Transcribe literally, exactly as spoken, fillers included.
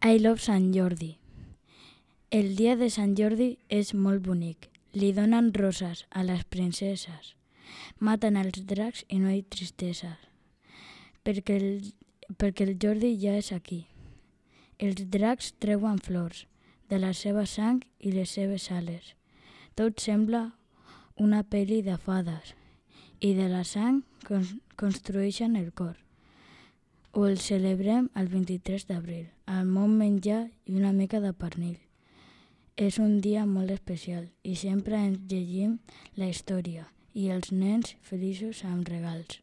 I love Sant Jordi. El dia de Sant Jordi és molt bonic. Li donen roses a les princeses. Maten els dracs i no hi ha tristesa. Perquè el, perquè el Jordi ja és aquí. Els dracs treuen flors de la seva sang i les seves ales. Tot sembla una pel·li de fades i de la sang construeixen el cor. Ho el celebrem el vint-i-tres d'abril, amb molt menjar i una mica de pernil. És un dia molt especial i sempre ens llegim la història i els nens feliços amb regals.